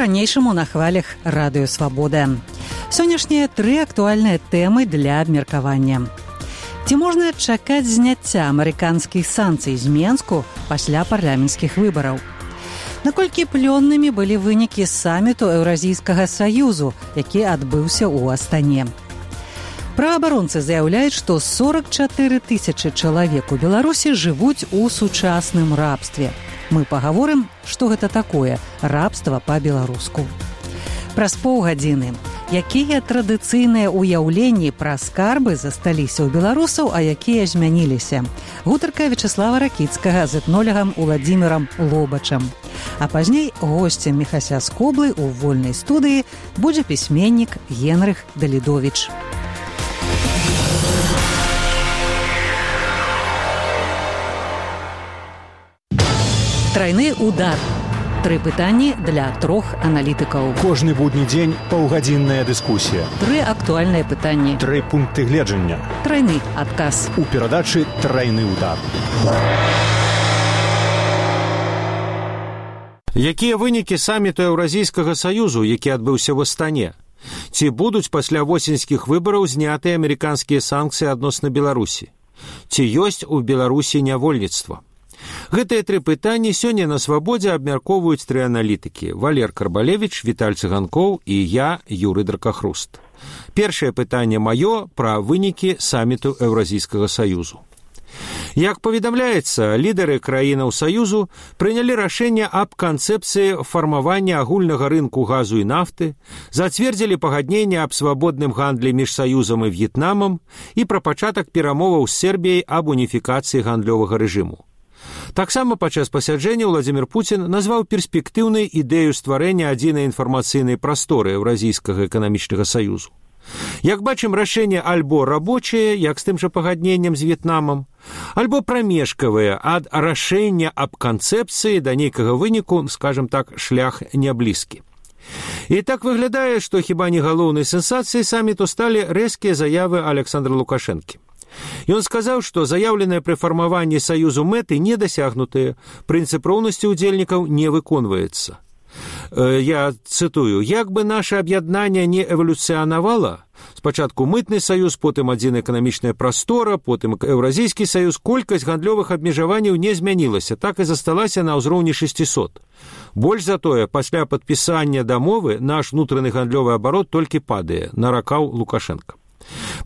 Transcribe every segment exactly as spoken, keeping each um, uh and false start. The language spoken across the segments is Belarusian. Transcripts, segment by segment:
па-ранейшаму на хвалях радыё «Свабода». Сённяшнія тры актуальныя тэмы для абмеркавання. Ці можна чакаць зняцця амерыканскіх санкцый з Менску пасля парламенцкіх выбараў? Наколькі плённымі былі вынікі саміту Еўразійскага саюзу, які адбыўся ў Астане? Праабаронцы заяўляюць, што сорок чатыры тысячы чалавек у Беларусі жывуць у сучасным рабстве. Мы пагаворым, што гэта такое рабства па-беларуску. Праз паўгадзіны. Якія традыцыйныя ўяўленні пра скарбы засталіся ў беларусаў, а якія змяніліся? Гутарка Вячеслава Ракіцкага з этнолегам Уладзімірам Лобачам. А пазней госцем Міхася Скоблы ў вольнай студыі будзе пісьменнік Генрых Далідовіч. Трайны удар. Тры пытанні для трох аналітыкаў. Кожны будні дзень паўгадзінная дыскусія. Тры актуальныя пытанні. Тры пункты гледжання. Трайны адказ. У перадачы «Трайны удар». Якія вынікі саміту Еўразійскага саюзу, які адбыўся ў Астане? Ці будуць пасля восеньскіх выбараў знятыя амерыканскія санкцыі адносна Беларусі? Ці ёсць у Беларусі нявольніцтва? Гэтыя тры пытанні сёння на «Свабодзе» абмяркоўваюць тры аналітыкі: Валер Карбалевіч, Віталь Цыганкоў і я, Юрый Дракахруст. Першае пытанне маё пра вынікі саміту Еўразійскага саюзу. Як паведамляецца, лідары краінаў саюзу прынялі рашэнне аб канцэпцыі фармавання агульнага рынку газу і нафты, зацвердзілі пагадненне аб свабодным гандлі між саюзам і В'етнамам і пра пачатак перамоваў з Сербіяй аб уніфікацыі гандлёвага рэжыму. Таксама падчас пасяджэння Владзімір Пуцін назваў перспектыўнай ідэю стварэння адзінай інфармацыйнай прасторы Еўразійскага эканамічнага саюзу. Як бачым, рашэнне альбо рабочае, як з тым жа пагадненнем з В'етнамам, альбо прамежкавае ад рашэння аб канцэпцыі да нейкага выніку, скажам так, шлях няблізкі. І так выглядае, што хіба не галоўнай сенсацыяй саміту сталі рэзкія заявы Александра Лукашэнкі. Ён сказаў, што заяўленыя пры фармаванні саюзу мэты не дасягнутыя, прынцып роўнасці ўдзельнікаў не выконваецца. Я цытую: «Як бы наше аб'яднанне не эвалюцыянавала, спачатку мытны саюз, потым адзіная эканамічная прастора, потым Еўразійскі саюз, колькасць гандлёвых абмежаванняў не змянілася, так і засталася на ўзроўні шэсцісот. Больш за тое, пасля падпісання дамовы наш унутраны гандлёвы абарот толькі падае», наракаў Лукашенко.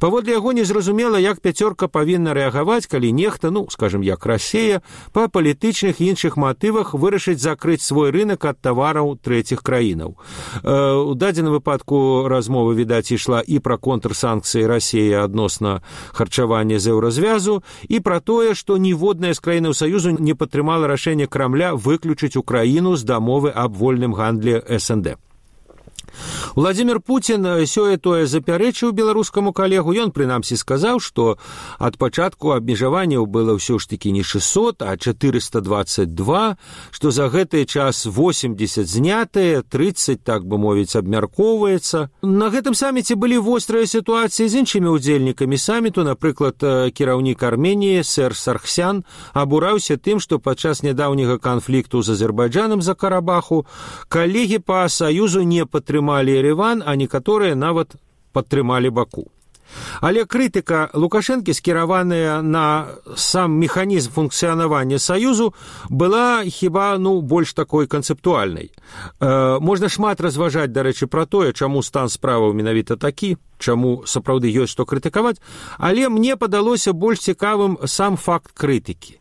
Паводле яго незразумела, як пяцёрка павінна рэагаваць, калі нехта, ну, скажем, як Расія, па палітычных і іншых матывах вырашыць закрыць свой рынок ад тавараў трэціх краінаў. Э, у дадзеным выпадку размова, відаць, ішла і пра контрсанкцыі Расіі адносна харчавання з еўразвязу, і пра тое, што ніводная з краінаў Саюзу не падтрымала рашэнне Крамля выключыць Украіну з дамовы аб вольным гандлі эс эн дэ. Владзімір Пуцін сёе-тое запярэчыў беларускаму калегу. Ён прынамсі сказаў, што ад пачатку абмежаванняў было ўсё ж такі не шэсцьсот, а чатырыста дваццаць два, што за гэты час восемьдесят знятыя, тридцать, так бы мовіць, абмяркоўваецца. На гэтым саміце былі вострыя сітуацыі з іншымі ўдзельнікамі саміту. Напрыклад, кіраўнік Арменіі Сэр Саргсян абураўся тым, што падчас нядаўняга канфлікту з Азербайджанам за Карабаху калегі па саюзу не падтрымалі Ереван, а некаторыя нават падтрымалі Баку. Але крытыка Лукашэнкі, скіраваная на сам механізм функцыянавання саюзу, была хіба, ну, больш такой канцэптуальнай. Э, можна шмат разважаць, дарэчы, пра тое, чаму стан справаў менавіта такі, чаму сапраўды ёсць што крытыкаваць, але мне падалося больш цікавым сам факт крытыкі.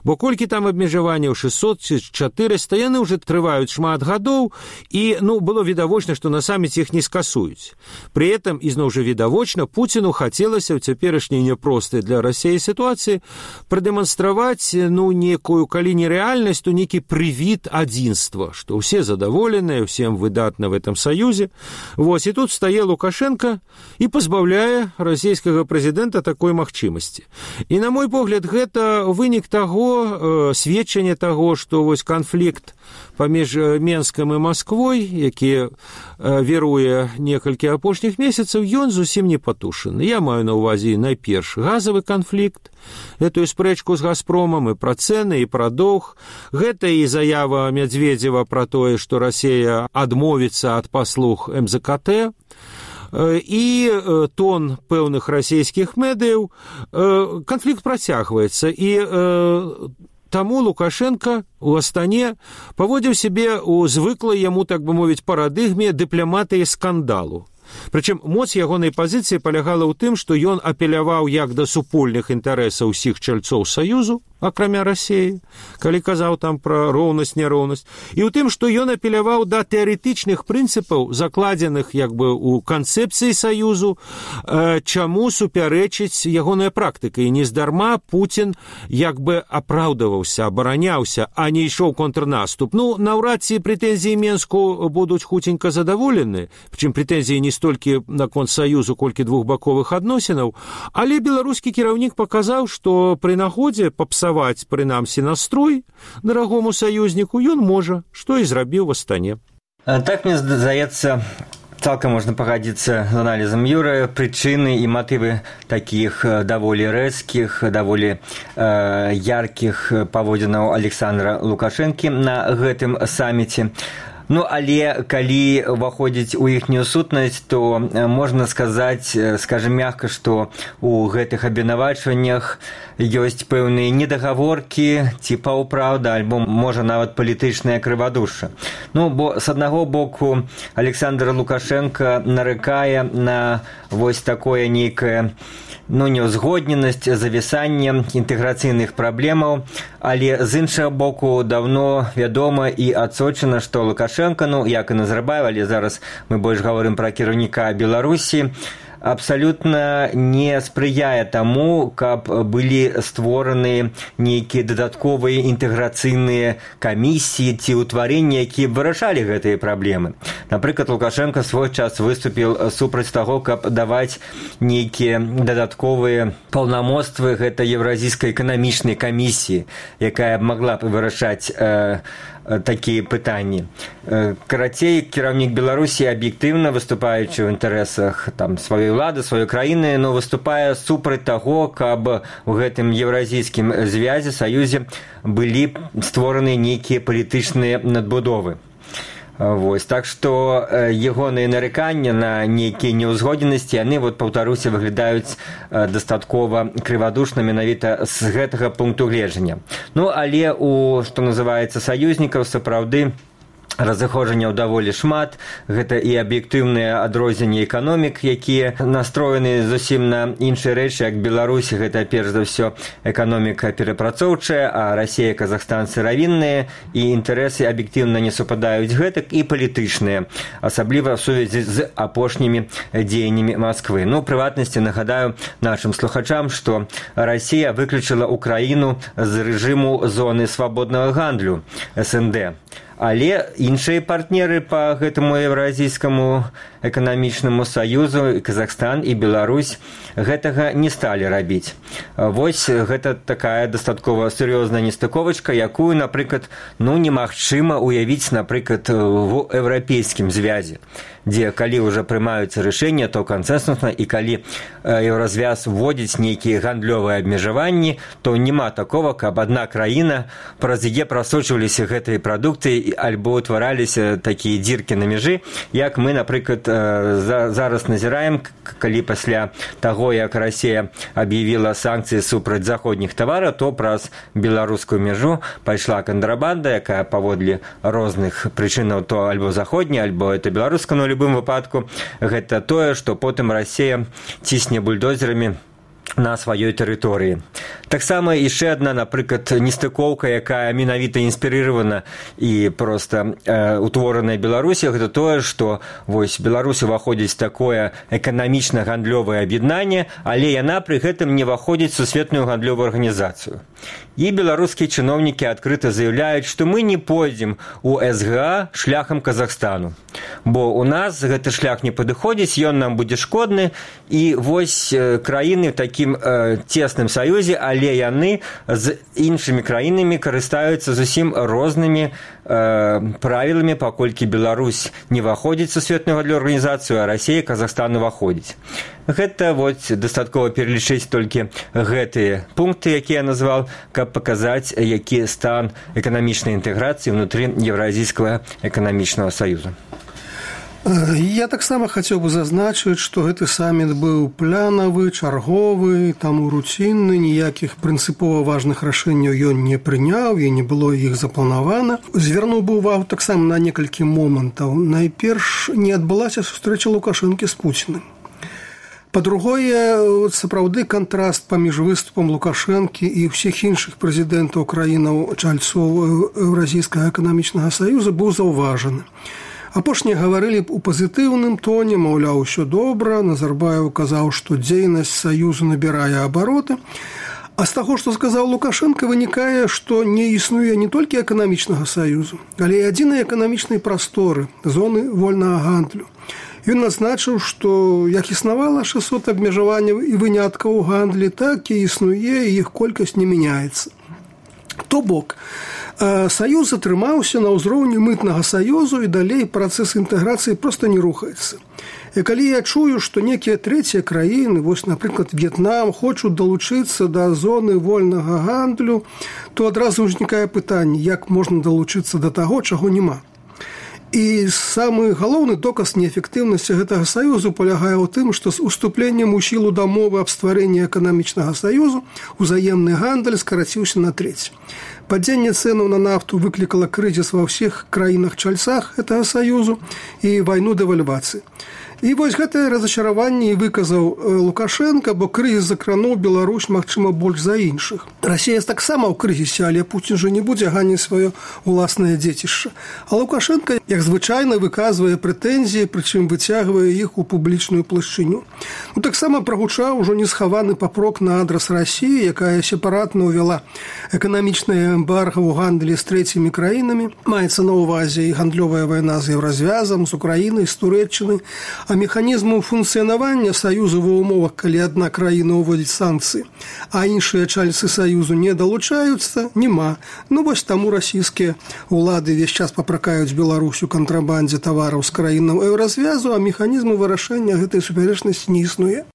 Бо колькі там абмежаванняў шэсцьсот ці чатырыста, яны ўжо трываюць шмат гадоў, і, ну, было відавочна, што на саміце іх не скасуюць. Пры этом, ізноў жа відавочна, Пуціну хацелася ў цяперашняй няпростай для Расіі сітуацыі прадэманстраваць, ну, некую, калі не рэальнасць, то нейкі прывід адзінства, што ўсе задаволеныя, ўсім выдатна в этом саюзе. Вось, і тут стае Лукашенко і пазбаўляе расійскага прэзідэнта такой магчымасці. І, на мой погляд, гэта вынік таго, сведчанне таго, што вось канфлікт паміж Менскам і Масквой, які віруе некалькі апошніх месяцаў, ён зусім не патушаны. Я маю на ўвазе найперш газавы канфлікт, гэтую спрэчку з Газпромам і пра цэны, і пра доўг. Гэта і заява Медведзева пра тое, што Расія адмовіцца ад паслуг эм зэ ка тэ, і тон пэўных расійскіх медыяў. Канфлікт працягваецца, і таму Лукашенко у Астане паводзіў сябе ў звыклай яму, так бы мовіць, парадыгме дыпламатыі скандалу. Прычым моц ягонай пазіцыі палягала ў тым, што ён апеляваў як да супольных інтарэсаў усіх чальцоў Саюзу, акрамя Расіі, калі казаў там пра роўнасць, няроўнасць, і ў тым, што ён апеляваў да тэарэтычных прынцыпаў, закладзеных як бы ў канцэпцыі Саюзу, чаму супярэчыць ягоная практыка. І нездарма Пуцін як бы апраўдаваўся, абараняўся, а не ішоў контрнаступ. Ну, наўрад ці прэтэнзіі Менску будуць хуценька задаволены, прычым прэтэнзіі не столькі наконт Саюзу, колькі двухбаковых адносінаў, але беларускі кіраўнік паказаў, што пры нагодзе папсаваць, прынамсі, настрой дарагому саюзніку ён можа, што і зрабіў в Астане. Так, мне здаецца, цалкам можна пагадзіцца з аналізам Юрыя. Прычыны і матывы такіх даволі рэзкіх, даволі э, яркіх паводзінаў Александра Лукашэнкі на гэтым саміце. Ну, але калі ўваходзіць у іхнюю сутнасць, то можна сказаць, скажем мягка, што у гэтых абвінавачваннях ёсць пэўныя недагаворкі ці паўпраўда, альбо, можа, нават палітычная крывадушша. Ну, бо з аднаго боку Александр Лукашенко нарыкае на вось такое нейкае, ну, неўзгодненасць, завісанне інтэграцыйных праблемаў, але з іншага боку даўно вядома і адсочана, што Лукашенко, ну, як і Назарбаев, але зараз мы больш гаворым пра кіраўніка Беларусі, абсалютна не спрыяе таму, каб былі створаны нейкія дадатковыя інтэграцыйныя камісіі ці ўтварэнні, якія вырашалі гэтыя праблемы. Напрыклад, Лукашенко свой час выступіў супраць таго, каб даваць нейкія дадатковыя паўнамоцтвы гэта Еўразійскай эканамічнай камісіі, якая магла б вырашаць э, такія пытанні. Карацей, кіраўнік Беларусі аб'ектыўна, выступаючы ў інтарэсах там сваёй улады, сваёй краіны, но выступае супраць таго, каб у гэтым еўразійскім звязе, саюзе былі створаны нейкія палітычныя надбудовы. Вось, так што ягоныя нарыканні на нейкія неўзгодненасці, яны, вот, паўтаруся, выглядаюць дастаткова крывадушна менавіта з гэтага пункту гледжання. Ну, але у, што называецца, саюзнікаў сапраўды разыходжанняў даволі шмат. Гэта і аб'ектыўныя адрозненні эканомік, якія настроены зусім на іншыя рэчы, як Беларусь, гэта перш за ўсё эканоміка перапрацоўчая, а Расія, Казахстан сыравінныя, і інтарэсы аб'ектыўна не супадаюць гэтак, і палітычныя, асабліва ў сувязі з апошнімі дзеяннямі Масквы. Ну, у прыватнасці нагадаю нашым слухачам, што Расія выключыла Украіну з рэжыму зоны свабоднага гандлю эс эн дэ. Але іншыя партнеры па гэтаму Еўразійскаму эканамічнаму саюзу, Казахстан і Беларусь, гэтага не сталі рабіць. Вось гэта такая дастаткова сур'ёзная нестыковачка, якую, напрыклад, ну, немагчыма уявіць, напрыклад, у еўрапейскім звязе, дзе калі ўжо прымаюцца рашэнні, то кансэнсусна, і калі еўразвяз вводзіць нейкія гандлёвыя абмежаванні, то няма такого, каб адна краіна, праз яе прасочваліся гэтыя прадукты альбо ўтвараліся такія дзіркі на мяжы, як мы, напрыклад, зараз назіраем, калі пасля таго, як Расія аб'явіла санкцыі супраць заходніх тавараў, то праз беларускую мяжу пайшла кантрабанда, якая паводле розных прычынаў то альбо заходняя, альбо это беларуска, но ў любым выпадку гэта тое, што потым Расія цісне бульдозерамі на сваёй тэрыторыі. Таксама яшчэ адна, напрыклад, нестыкоўка, якая менавіта інспірыравана і проста э, утвораная Беларусі, гэта тое, што вось Беларусь уваходзіць такое эканамічна-гандлёвае аб'яднанне, але яна пры гэтым не ўваходзіць сусветную гандлёвую арганізацыю. І беларускія чыноўнікі адкрыта заяўляюць, што мы не пойдзем у эс гэ а шляхам Казахстану, бо у нас гэты шлях не падыходзіць, ён нам будзе шкодны, і вось краіны такія такім э, цесным саюзе, але яны з іншымі краінамі карыстаюцца зусім рознымі э, правіламі, паколькі Беларусь не ўваходзіць у Сусветную гандлёвую арганізацыю, а Расія, Казахстан уваходзіць. Гэта вот дастаткова пералічыць толькі гэтыя пункты, якія я назваў, каб паказаць, які стан эканамічнай інтэграцыі ўнутры Еўразійскага эканамічнага саюза. Я таксама хацеў бы зазначыць, што гэты саміт быў планавы, чарговы, таму руцінны, ніякіх прынцыпова важных рашэнняў ён не прыняў і не было іх запланавана. Звярнуў бы ўвагу таксама на некалькі момантаў. Найперш не адбылася сустрэча Лукашэнкі з Пуціным. Па-другое, сапраўды кантраст паміж выступам Лукашэнкі і ўсіх іншых прэзідэнтаў краінаў чальцоў Еўразійскага эканамічнага саюза быў заўважаны. Апошнія гаварылі ў пазітыўным тоне, маўляў, усё добра, Назарбаев казаў, што дзейнасць саюзу набірае абароты. А з таго, што сказаў Лукашэнка, вынікае, што не існуе не толькі эканамічнага саюзу, але і адзінай эканамічнай прасторы, зоны вольнага гандлю. Ён назначыў, што як існавала шэсцьсот абмежаванняў і выняткаў у гандлі, так і існуе, і іх колькасць не мяняецца. То бок, саюз атрымаўся на ўзроўні мытнага саюзу, і далей працэс інтэграцыі проста не рухаецца. І калі я чую, што некія трэція краіны, вось, напрыклад, В'етнам, хочуць далучыцца да зоны вольнага гандлю, то адразу ўзнікае пытанне, як можна далучыцца да таго, чаго няма. І самы галоўны доказ неэфектыўнасці гэтага саюзу палягае ў тым, што з уступленнем у сілу дамовы аб стварэнні эканамічнага саюзу узаемны гандаль скараціўся на трэць. Падзенне цэнаў на нафту выклікала крызіс ва ўсіх краінах-чальцах гэтага саюзу і вайну дэвальвацыі. І вось гэтае разачараванне і выказаў Лукашэнка, бо крызіс закрануў Беларусь, магчыма, больш за іншых. Расія таксама ў крызісе, але Пуцін жа не будзе ганіць сваё уласнае дзецішча. А Лукашэнка, як звычайна, выказвае прэтэнзіі, прычым выцягвае іх у публічную плашчыню. Ну, таксама прагучаў ужо несхаваны папрок на адрас Расіі, якая сепаратна ўвяла эканамічнае эмбарга ў гандлі з трэцімі краінамі. Маецца на ўвазе і гандлёвая вайна з Еўразвязам, з Украінай, з Турэччынай. А механізму функцыянавання саюзу ва ўмовах, калі адна краіна ўводзіць санкцыі, а іншыя чальцы саюзу не далучаюцца, няма. Ну вось таму расійскія ўлады ўвесь час папракаюць Беларусь у кантрабандзе тавараў з краінаў Еўразвязу, а механізму вырашэння гэтай супярэчнасці не існуе.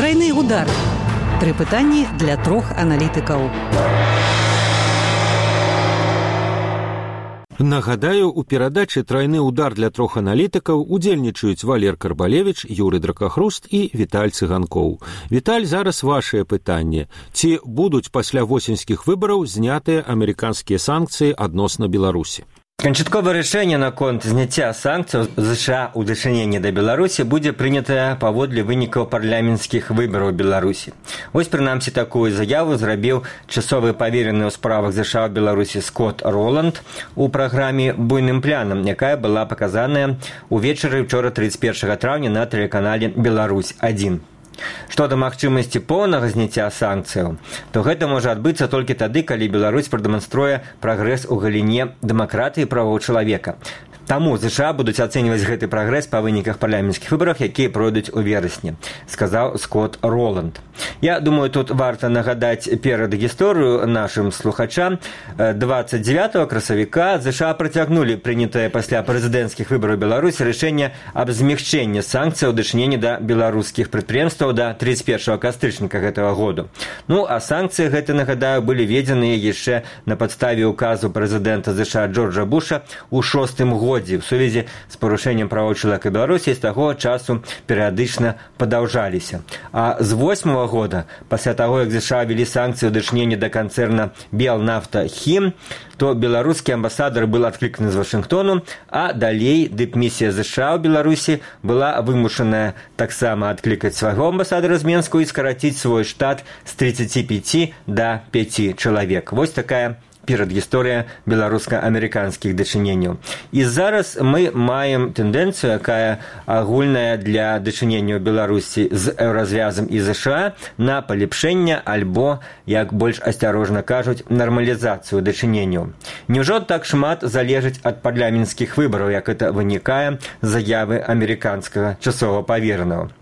Трайны удар. Тры пытанні для трох аналітыкаў. Нагадаю, у перадачы «Трайны удар» для трох аналітыкаў удзельнічаюць Валер Карбалевіч, Юрый Дракахруст і Віталь Цыганкоў. Віталь, зараз вашае пытанне. Ці будуць пасля восеньскіх выбараў знятыя амерыканскія санкцыі адносна Беларусі? Канчатковае рашэнне наконт зняцця санкцыяў ЗША ў дачыненні да Беларусі будзе прынятае паводле вынікаў парламенцкіх выбараў Беларусі. Вось, прынамсі, такую заяву зрабіў часовы паверены ў справах ЗША ў Беларусі Скотт Роланд у праграме «Буйным планам», якая была паказаная ўвечары ўчора трыццаць першага траўня на тэлеканале «Беларусь адзін». Што да магчымасці поўнага зняцця санкцыяў, то гэта можа адбыцца толькі тады, калі Беларусь прадэманструе прагрэс у галіне дэмакратыі і правоў чалавека. Таму ЗША будуць ацэньваць гэты прагрэс па выніках парламенцкіх выбарах, якія пройдуць у верасні, сказаў Скотт Роланд. Я думаю, тут варта нагадаць перад гісторыю нашым слухачам. дваццаць дзевятага красавіка ЗША працягнулі прынятае пасля прэзідэнцкіх выбараў Беларусі рашэнне аб змягчэнні санкцыяў у дачыненні да беларускіх прадпрыемстваў да трыццаць першага кастрычніка гэтага году. Ну, а санкцыі гэты, нагадаю, былі введзеныя яшчэ на падставе указу прэзідэнта ЗША Джорджа Буша ў шостым годзе в сувязі з парушэннем правоў чалавека Беларусі з таго часу перыядычна падаўжаліся. А з восьмага года, пасля таго, як ЗША ввелі санкцыі ў дачыненні да канцэрна «Белнафта-Хім», то беларускі амбасадар быў адкліканы з Вашынгтону, а далей дыпмісія ЗША ў Беларусі была вымушаная таксама адклікаць свайго амбасадара з Менску і скараціць свой штат з трыццаці пяці да пяці чалавек. Вось такая перадгісторыя беларуска-амерыканскіх дачыненняў. І зараз мы маем тэндэнцыю, якая агульная для дачынення ў Беларусі з Еўразвязам і ЗША на палепшэнне альбо, як больш асцярожна кажуць, нармалізацыю дачыненняў. Няўжо так шмат залежыць ад парламенцкіх выбараў, як это вынікае з заявы амерыканскага часовага паверанага?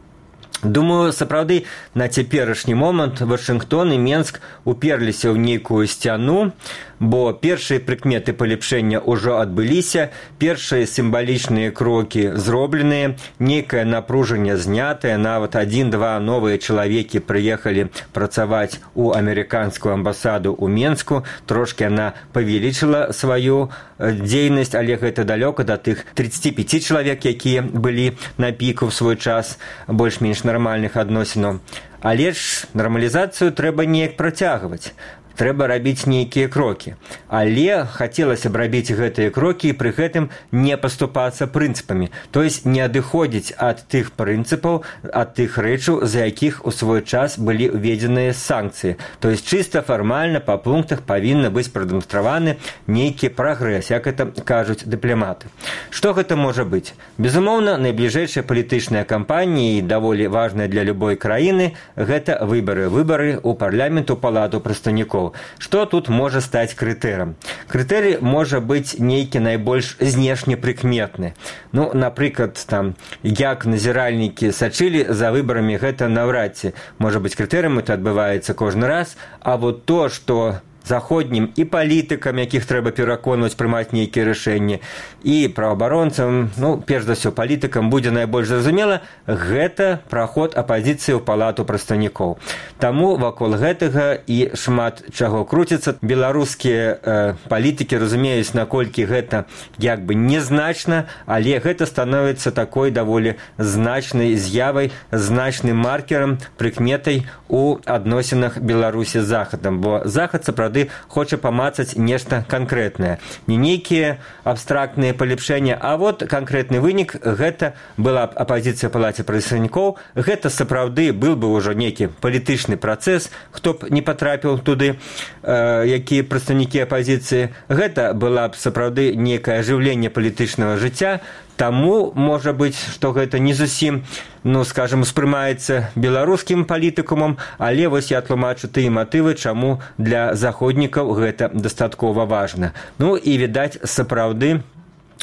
Думаю, сапраўды, на цяперашні момант Вашынгтон і Менск уперліся ў нейкую сцяну, бо першыя прыкметы палепшэння ўжо адбыліся, першыя сімвалічныя крокі зробленыя, нейкае напружанне знятае, нават адзін-два новыя чалавекі прыехалі працаваць у амерыканскую амбасаду ў Менску, трошкі яна павялічыла сваю дзейнасць, але гэта далёка да тых тридцати пяти чалавек, якія былі на піку ў свой час больш-менш нармальных адносінаў. Але ж нармалізацыю трэба неяк працягваць. Трэба рабіць нейкія крокі. Але хацелася б рабіць гэтыя крокі і пры гэтым не паступацца прынцыпамі, то есть не адыходзіць ад тых прынцыпаў, ад тых рэчаў, за якіх у свой час былі ўведзеныя санкцыі. То есть чыста фармальна па пунктах павінны быць прадэманстраваны нейкі прагрэс, як это кажуць дыпламаты. Што гэта можа быць? Безумоўна, найбліжэйшая палітычная кампанія і даволі важная для любой краіны гэта выбары. Выбары ў парламент, у палату прадстаўнікоў. Што тут можа стаць крытэрам? Крытэрый можа быць нейкі найбольш знешне прыкметны. Ну, напрыклад, там, як назіральнікі сачылі за выбарамі, гэта наўрад ці можа быць крытэрым, это адбываецца кожны раз, а вот то, што заходнім і палітыкам, якіх трэба пераконваць прымаць нейкія рашэнні, і праваабаронцам, ну, перш за ўсё, палітыкам будзе найбольш зразумела, гэта праход апазіцыі ў палату прадстаўнікоў. Таму вакол гэтага і шмат чаго круціцца. Беларускія э, палітыкі разумеюць, наколькі гэта як бы незначна, але гэта становіцца такой даволі значнай з'явай, значным маркерам, прыкметай у адносінах Беларусі з Захадам, бо Захад сапраўды хоча памацаць нешта канкрэтнае. Не нейкія абстрактныя палепшэння, а вот канкрэтны вынік, гэта была апазіцыя палаце прадстаўнікоў, гэта сапраўды быў бы ўжо нейкі палітычны працэс, хто б не патрапіў туды, э, якія прадстаўнікі апазіцыі, гэта была б сапраўды нейкае ажыўленне палітычнага жыцця. Таму, можа быць, што гэта не зусім, ну, скажем, успрымаецца беларускім палітыкумам, але вось я тлумачу тыя матывы, чаму для заходнікаў гэта дастаткова важна. Ну, і, відаць, сапраўды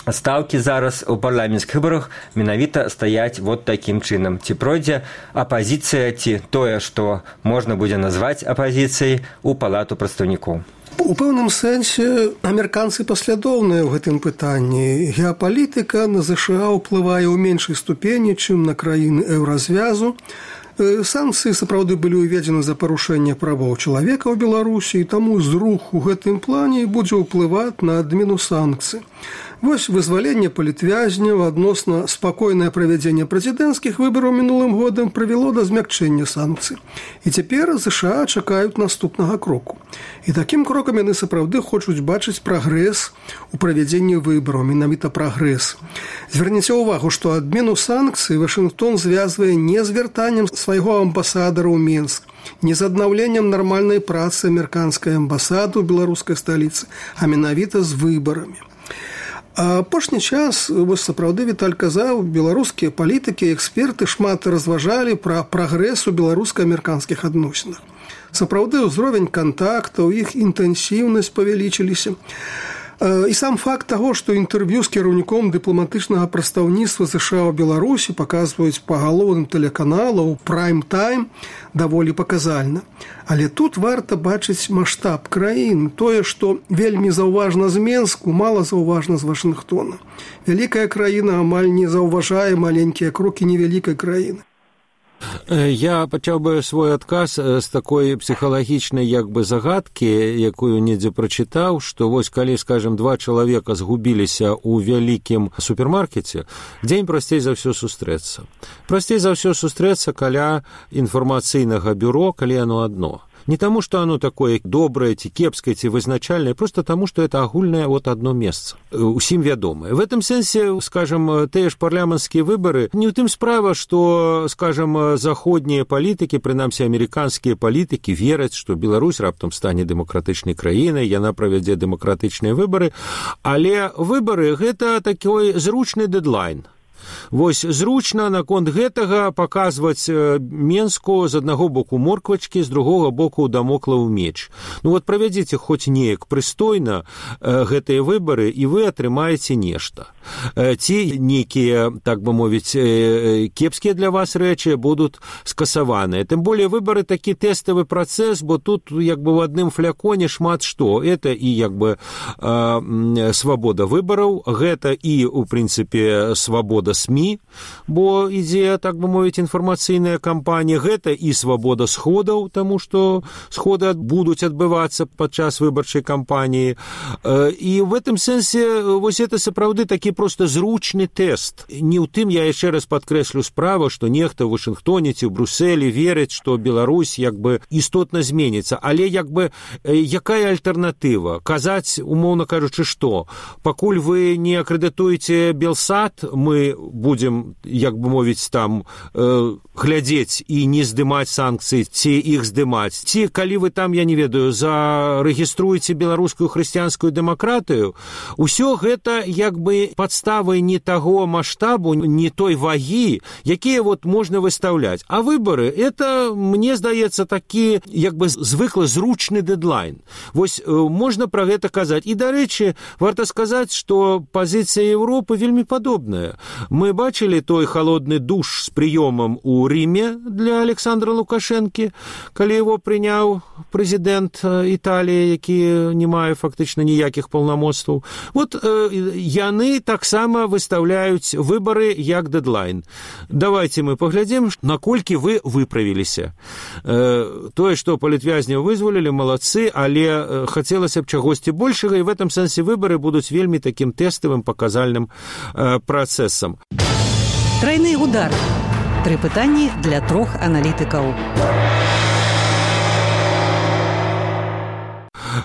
стаўкі зараз у парламенцкіх выбарах менавіта стаяць вот такім чынам. Ці пройдзе апазіцыя, ці тое, што можна будзе назваць апазіцыяй у палату прадстаўнікоў. У пэўным сэнсе амерыканцы паслядоўныя ў гэтым пытанні. Геапалітыка на ЗША ўплывае ў меншай ступені, чым на краіны еўразвязу. Санкцыі сапраўды былі ўведзены за парушэнне правоў чалавека ў Беларусі, і таму зрух у гэтым плане будзе ўплываць на адмену санкцый. Вось вызваленне палітвязняў адносна спакойнае правядзенне прэзідэнцкіх выбараў мінулым годам прывяло да змякчэння санкцый. І цяпер ЗША чакаюць наступнага кроку. І такім крокам яны сапраўды хочуць бачыць прагрэс у правядзенні выбараў, менавіта прагрэс. Звярніце ўвагу, што адмену санкцый Вашынгтон звязвае не з вяртаннем свайго амбасадара ў Менск, не з аднаўленнем нармальнай працы амерыканскай амбасады ў беларускай сталіцы, а менавіта з выбарамі. А апошні час, вось сапраўды Віталь казаў, беларускія палітыкі і эксперты шмат разважалі пра прагрэс у беларуска-амерыканскіх адносінах. Сапраўды ўзровень кантактаў, іх інтэнсіўнасць павялічыліся. І сам факт таго, што інтэрв'ю з кіраўніком дыпламатычнага прадстаўніцтва ЗША ў Беларусі паказваюць па галоўным тэлеканалу ў прайм-тайм, даволі паказальна. Але тут варта бачыць маштаб краін. Тое, што вельмі заўважна з Менску, мала заўважна з Вашынгтона. Вялікая краіна амаль не заўважае маленькія крокі невялікай краіны. Я пачаў бы свой адказ з такой псіхалагічнай як бы загадкі, якую недзе прачытаў, што вось калі, скажем, два чалавека згубіліся ў вялікім супермаркеце, дзень прасцей за ўсё сустрэцца. Прасцей за ўсё сустрэцца каля інфармацыйнага бюро, калі яно адно. Не таму, што оно такое добрае, ці кепскае, ці вызначальнае, просто таму, што это агульнае вот одно месца, усім вядомае. В этом сэнсе, скажем, тыя ж парламенцкія выбары, не ў тым справа, што, скажем, заходнія палітыкі, прынамсі амерыканскія палітыкі, вераць, што Беларусь раптам стане дэмакратычнай краінай, яна правядзе дэмакратычныя выбары, але выбары – гэта такой зручны дэдлайн. Вось зручна наконт гэтага паказваць Менску з аднаго боку морквачкі, з другога боку дамоклаў меч. Ну вот правядзіце хоць неяк прыстойна гэтыя выбары, і вы атрымаеце нешта. Ці нейкія, так бы мовіць, кепскія для вас рэчы будуць скасаваныя. Тым более выбары такі тэставы працэс, бо тут як бы в адным фляконе шмат што. Это і як бы свабода выбараў, гэта і, у прынцыпе, свабода СМИ, бо ідзе, так бы мовіць, інфармацыйная кампанія, гэта і свабода сходаў, таму што сходы будуць адбывацца падчас выбарчай кампаніі. І в гэтым сэнсе вось это сапраўды такі проста зручны тэст. Не ў тым, я яшчэ раз падкрэслю справа, што нехта ў Вашынгтоне ці ў Брусэлі верыць, што Беларусь як бы істотна зменіцца. Але як бы якая альтэрнатыва? Казаць, умоўна кажучы, што? Пакуль вы не акрэдытуеце Белсат, мы будзем, як бы мовіць, там э, глядзець і не здымаць санкцыі, ці іх здымаць. Ці, калі вы там, я не ведаю, зарэгіструеце беларускую хрысціянскую дэмакратыю, усё гэта як бы падставы не таго маштабу, не той вагі, якія вот можна выстаўляць. А выбары, это, мне здаецца, такі, як бы звыклы зручны дэдлайн. Вось э, можна пра гэта казаць. І, дарэчы, варта сказаць, што пазіцыя Еўропы вельмі падобная. Мы бачылі той холодны душ з прыёмам у Ріме для Александра Лукашэнкі, калі его прыняў прэзідэнт Італіі, які не мае фактычна ніякіх паўнамоцтваў. Вот э, яны таксама выстаўляюць выбары як дэдлайн. Давайте мы паглядзім, наколькі вы выправіліся. Э, тое, што палітвязняў вызвалілі, малацы, але э, хацелася б чагосьці большага, і в этом сэнсе выбары будуць вельмі такім тэставым паказальным э, працэсам. Трайны удар. Тры пытанні для трох аналітыкаў.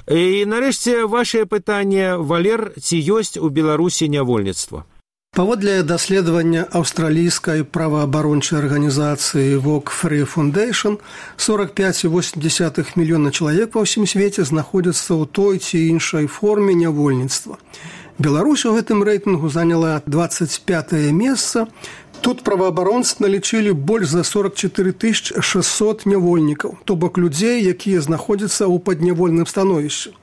І нарэшце вашае пытанне, Валер, ці ёсць у Беларусі нявольніцтва? Паводле даследавання аўстралійскай праваабарончай арганізацыі Walk Free Foundation, сорок пять целых восемь десятых мільёна чалавек ва ўсім свеце знаходзяцца ў той ці іншай форме нявольніцтва. Беларусь у гэтым рэйтынгу заняла двадцать пятае месца. Тут праваабаронцы налічылі больш за сорок четыре тысячи шестьсот нявольнікаў, то бок людзей, якія знаходзяцца ў паднявольным становішчы.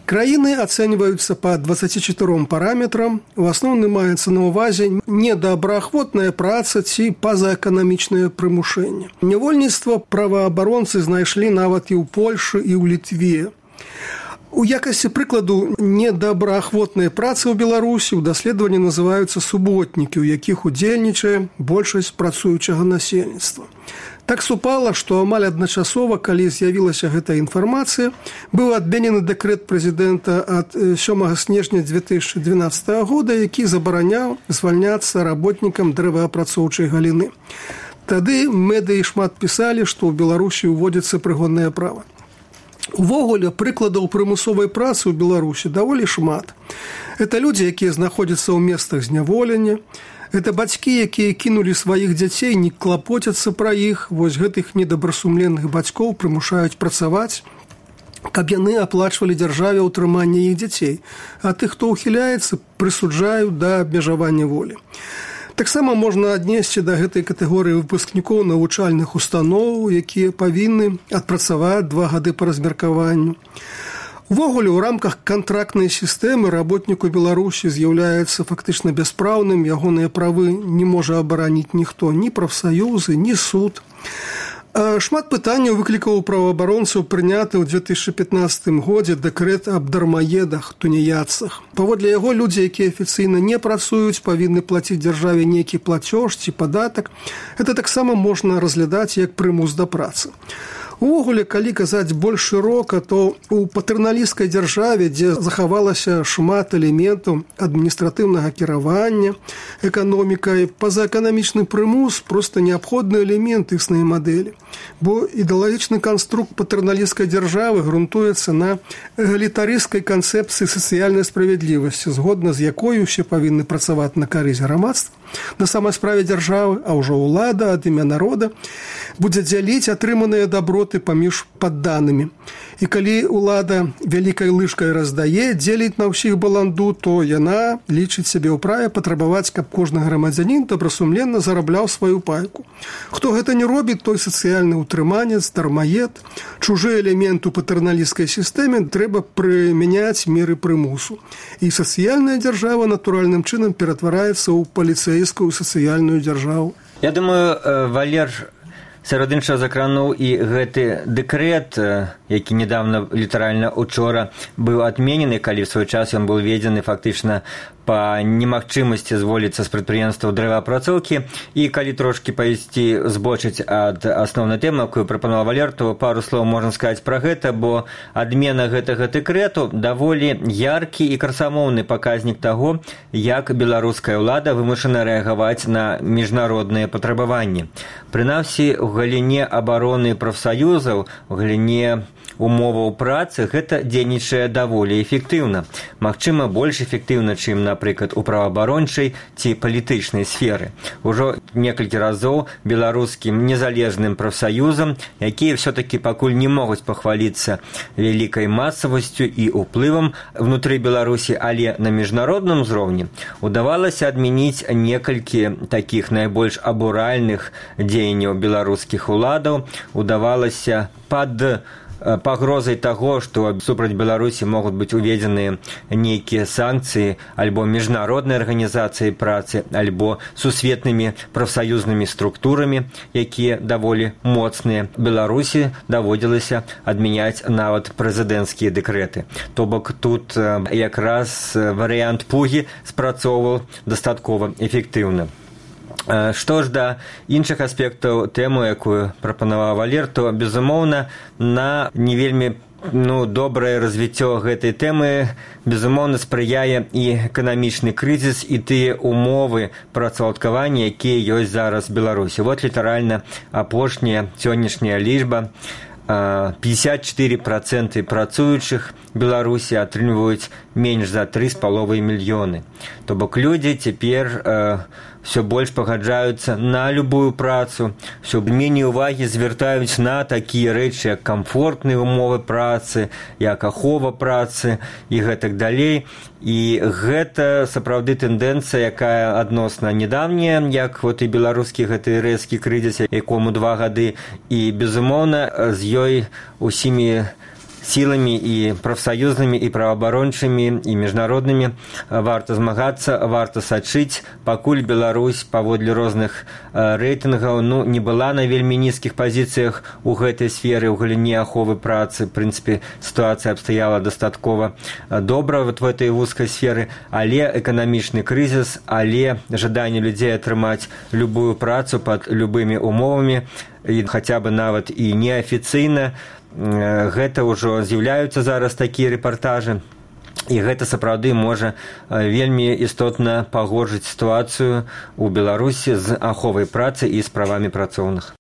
Краіны ацэньваюцца па двадцати чатыром параметрам. У асноўным маецца на ўвазе недобраахвотная праца ці пазаэканамічнае прымушэнне. Нявольніцтва праваабаронцы знайшлі нават і ў Польшы, і ў Літве. У якасці прыкладу недобраахвотнай працы ў Беларусі ў даследаванні называюцца суботнікі, у якіх удзельнічае большасць працуючага насельніцтва. Так супала, што амаль адначасова, калі з'явілася гэтая інфармацыя, быў адменены дэкрэт прэзідэнта ад сёмага снежня две тысячи двенадцатого года, які забараняў звальняцца работнікам дрэваапрацоўчай галіны. Тады медыі шмат пісалі, што ў Беларусі ўводзіцца прыгоннае права. Увогуле, прыкладаў прымусовай працы ў Беларусі даволі шмат. Это людзі, якія знаходзяцца ў месцах зняволення. Это бацькі, якія кінулі сваіх дзяцей, не клапоцяцца пра іх. Вось гэтых недобрасумленных бацькоў прымушаюць працаваць, каб яны аплачвалі дзяржаве ўтрыманне іх дзяцей. А тых, хто ўхіляецца, прысуджаюць да абмежавання волі. Таксама можна аднесці да гэтай катэгорыі выпускнікоў навучальных устаноў, якія павінны адпрацаваць два гады па размеркаванню. Увогуле, у рамках кантрактнай сістэмы работніку Беларусі з'яўляецца фактычна бяспраўным, ягоныя правы не можа абараніць ніхто, ні прафсаюзы, ні суд. Шмат пытанняў выклікаў праваабаронцаў прыняты ў две тысячи пятнадцатым годзе дэкрэт аб дармаедах, туніяцах. Паводле яго людзі, якія афіцыйна не працуюць, павінны плаціць дзяржаве нейкі плацёж ці падатак. Гэта таксама можна разглядаць як прымус да працы. Увогуле, калі казаць больш шырока, то у патэрналісцкай дзяржаве, дзе захавалася шмат элементаў адміністратыўнага кіравання, эканомікай, пазаэканамічны прымус проста неабходны элемент існай мадэлі. Бо ідэалагічны канструкт патэрналісцкай дзяржавы грунтуецца на эгалітарысцкай канцэпцыі сацыяльнай справядлівасці, згодна з якой усе павінны працаваць на карысць грамадства, На самай справе дзяржавы, а ўжо ўлада ад імя народа будзе дзяліць атрыманыя даброты паміж падданымі. І калі ўлада вялікай лыжкай раздае, дзеліць на ўсіх баланду, то яна лічыць сябе ў праве патрабаваць, каб кожны грамадзянін добрасумленна зарабляў сваю пайку. Хто гэта не робіць, той сацыяльны ўтрыманец, дармаед. Чужы элемент у патэрналісцкай сістэме трэба прымяняць меры прымусу. І сацыяльная дзяржава натуральным чынам ператвараецца ў паліцэйскую сацыяльную дзяржаву. Я думаю, Валер сярод іншага закрануў і гэты дэкрэт, які недавно, літаральна учора, быў адменены, калі ў свой час ён быў введзены фактычна па немагчымасці зволіцца з прадпрыемстваў дрэваапрацоўкі. І калі трошкі пайсці збочыць ад асноўнай тэмы, якую прапанаваў Валер, то пару слоў можна сказаць пра гэта, бо адмена гэтага дэкрэту даволі яркі і красамоўны паказнік таго, як беларуская ўлада вымушана рэагаваць на міжнародныя патрабаванні. Прынамсі, у галіне абароны прафсаюзаў, у галіне умоваў працы гэта дзейнічае даволі эфектыўна. Магчыма, больш эфектыўна, чым, напрыклад, у праваабарончай ці палітычнай сферы. Ужо некалькі разоў беларускім незалежным прафсаюзам, якія ўсё-такі пакуль не могуць пахваліцца вялікай масавасцю і ўплывам внутры Беларусі, але на міжнародным узроўні удавалася адмяніць некалькі такіх найбольш абуральных дзеянняў беларускіх уладаў, удавалася пад пагрозай таго, што супраць Беларусі могуць быць уведзеныя нейкія санкцыі альбо міжнароднай арганізацыі працы, альбо сусветнымі прафсаюзнымі структурамі, якія даволі моцныя. Беларусі даводзілася адмяняць нават прэзідэнцкія дэкрэты. То бок тут якраз варыянт пугі спрацоўваў дастаткова эфектыўна. Што ж да іншых аспектаў тэмы, якую прапанаваў Валер, то, безумоўна, на не вельмі ну, добрае развіццё гэтай тэмы, безумоўна, спрыяе і эканамічны крызіс, і тыя умовы працаўладкавання, якія ёсць зараз в Беларусі. Вот літаральна апошняя сённяшняя лічба. пятьдесят четыре процента працуючых Беларусі атрымліваюць менш за тры з паловай мільёны. То бок людзі цяпер э, все больш пагаджаюцца на любую працу, все меней увагі звяртаюць на такія рэчы, як камфортныя умовы працы, як ахова працы і гэтак далей. І гэта сапраўды тэндэнцыя, якая адносна недавняя, як вот і беларускі гэты рэзкі крызіс, якому два гады, і, безумоўна, з ёй усімі сіламі і прафсаюзнымі, і праваабарончымі, і міжнароднымі варта змагацца, варта сачыць, пакуль Беларусь паводле розных рэйтынгаў ну, не была на вельмі нізкіх пазіцыях у гэтай сферы, у галіне аховы працы. В прынцыпе, сітуацыя абстаяла дастаткова добра вот в этой вузкай сферы, але эканамічны крызіс, але жаданне людзей атрымаць любую працу пад любымі умовамі, і хаця бы нават і неафіцыйна, гэта ўжо з'яўляюцца зараз такія рэпартажы, і гэта сапраўды можа вельмі істотна пагоршыць сітуацыю у Беларусі з аховай працы і з правамі працоўных.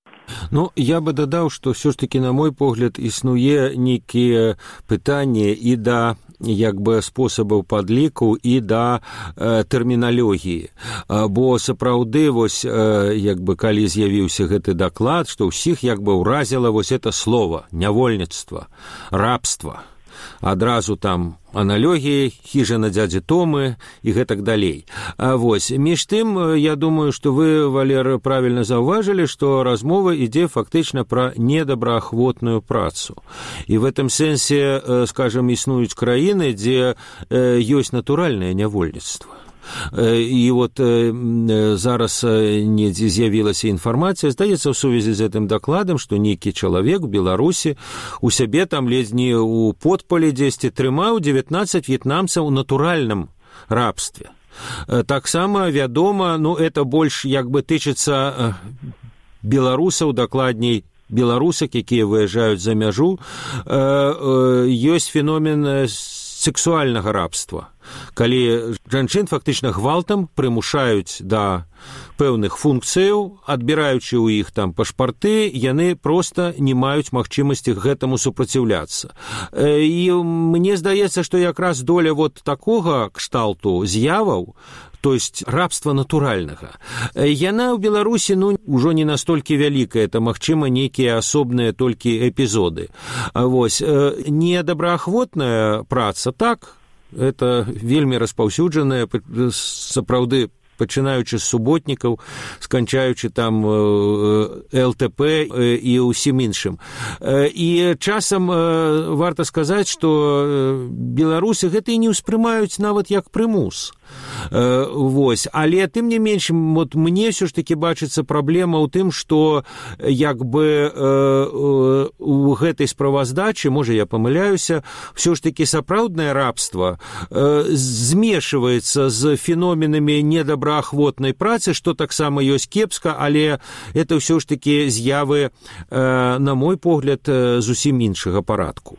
Ну, я бы дадаў, што ўсё ж такі, на мой погляд, існуе нейкія пытанні і да як бы спосабаў падліку і да э, тэрміналогіі. Бо сапраўды, вось, э, як бы, калі з'явіўся гэты даклад, што ўсіх як бы ўразіла вось это слово нявольніцтва, рабства. Адразу там аналогіі, хіжа на дзядзі Томы і гэтак далей. А вось, між тым, я думаю, што вы, Валер, правільна заўважылі, што размова ідзе фактычна пра недобраахвотную працу. І в этом сэнсе, скажем, існуюць краіны, дзе ёсць натуральнае нявольніцтва. І вот зараз недзе з'явілася інфармацыя, здаецца, ў сувязі з гэтым дакладам, што нейкі чалавек у Беларусі у сябе там ледзь не ў подпалі дзесьці трымаў дзевятнаццаць в'етнамцаў у натуральным рабстве. Таксама вядома, ну, это больш як бы тычыцца беларусаў, дакладней, беларусак, якія выязджаюць за мяжу, ёсць феномен сексуальнага рабства, калі жанчын фактычна гвалтам прымушаюць да пэўных функцыяў, адбіраючы ў іх там пашпарты, яны проста не маюць магчымасці гэтаму супраціўляцца. І мне здаецца, што якраз доля вот такога кшталту з'яваў то есть рабства натуральнага. Яна ў Беларусі ну ўжо не настолькі вялікая, это магчыма нейкія асобныя толькі эпізоды. Вось недобраахвотная праца, так, это вельмі распаўсюджаная, сапраўды, пачынаючы з суботнікаў, сканчаючы там эл тэ пэ і ўсім іншым. І часам варта сказаць, што беларусы гэта і не ўспрымаюць нават як прымус. Вось. Але тым не менш, вот мне ўсё ж такі бачыцца праблема ў тым, што як бы у гэтай справаздачы, можа я памыляюся, ўсё ж такі сапраўднае рабства змешваецца з феноменамі недобраахвотнай працы, што таксама ёсць кепска, але это ўсё ж такі з'явы, на мой погляд, зусім іншага парадку.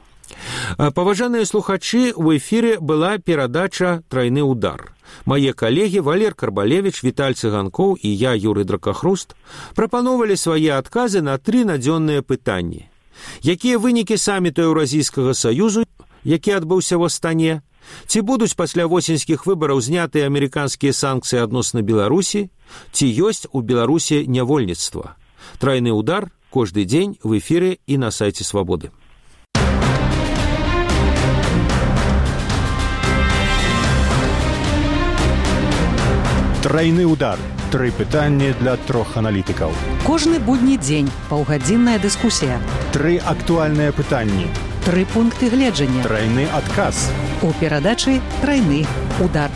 Паважаныя слухачы, у эфіры была перадача «Трайны удар». Мае калегі Валер Карбалевіч, Віталь Цыганкоў і я, Юрый Дракахруст, прапановалі свае адказы на тры надзённыя пытанні. Якія вынікі саміту Еўразійскага саюзу, які адбыўся ў Астане? Ці будуць пасля восеньскіх выбараў знятыя амерыканскія санкцыі адносна Беларусі? Ці ёсць у Беларусі нявольніцтва? «Трайны удар» кожны дзень в эфіры і на сайце Свабоды. Трайны удар. Тры пытанні для трох аналітыкаў. Кожны будні дзень паўгадзінная дыскусія. Тры актуальныя пытанні. Тры пункты гледжання. Трайны адказ. У перадачы «Трайны удар».